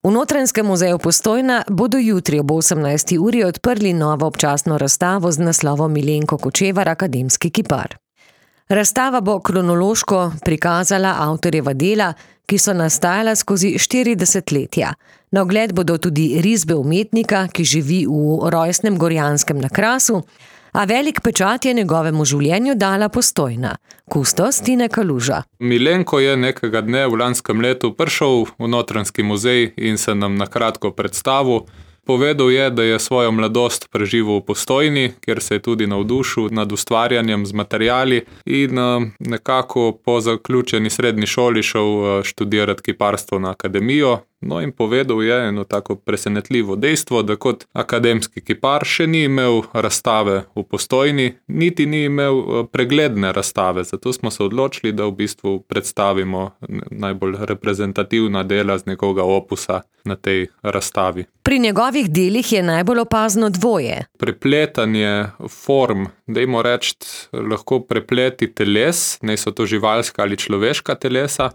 V Notranjskem muzeju Postojna bodo jutri ob 18. uri odprli novo občasno razstavo z naslovom Milenko Kočevar, akademski kipar. Razstava bo kronološko prikazala avtorjeva dela, ki so nastajala skozi 4 desetletja. Na ogled bodo tudi risbe umetnika, ki živi v rojstnem Gorjanskem na Krasu, a velik pečat je njegovemu življenju dala Postojna. Kustos Tine Kaluža. Milenko je nekega dne v lanskem letu prišel v Notranjski muzej in se nam na kratko predstavil. Povedal je, da je svojo mladost preživel v Postojni, kjer se je tudi navdušil nad ustvarjanjem z materiali in nekako po zaključeni srednji šoli šel študirati kiparstvo na akademijo. No in povedal je eno tako presenetljivo dejstvo, da kot akademski kipar še ni imel razstave v Postojni, niti ni imel pregledne razstave. Zato smo se odločili, da v bistvu predstavimo najbolj reprezentativna dela z njegovega opusa na tej razstavi. Pri njegovih delih je najbolj opazno dvoje. Prepletanje form, dajmo reči, lahko prepleti teles, naj so to živalska ali človeška telesa,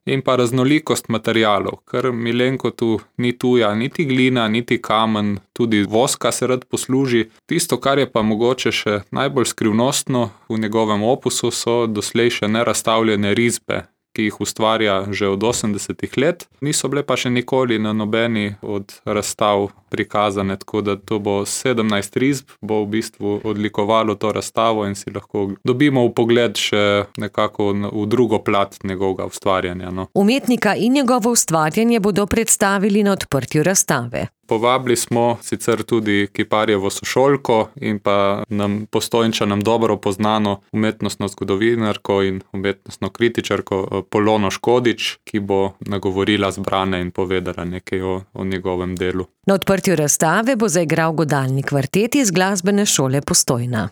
in pa raznolikost materialov, ker Milenko tu ni tuja, niti glina, niti kamen, tudi voska se rad posluži. Tisto, kar je pa mogoče še najbolj skrivnostno v njegovem opusu, so doslej še nerazstavljene risbe, ki jih ustvarja že od 80 let. Niso bile pa še nikoli na nobeni od razstav prikazane, tako da to bo 17 risb, bo v bistvu odlikovalo to razstavo in si lahko dobimo vpogled še nekako v drugo plat njegovega ustvarjanja. Umetnika in njegovo ustvarjanje bodo predstavili na odprtju razstave. Povabili smo sicer tudi kiparjevo sošolko in pa Postojnčanom dobro poznano umetnostno zgodovinarko in umetnostno kritičarko Polono Škodič, ki bo nagovorila zbrane in povedala nekaj o njegovem delu. Na odprtju razstave bo zaigral godalni kvartet iz Glasbene šole Postojna.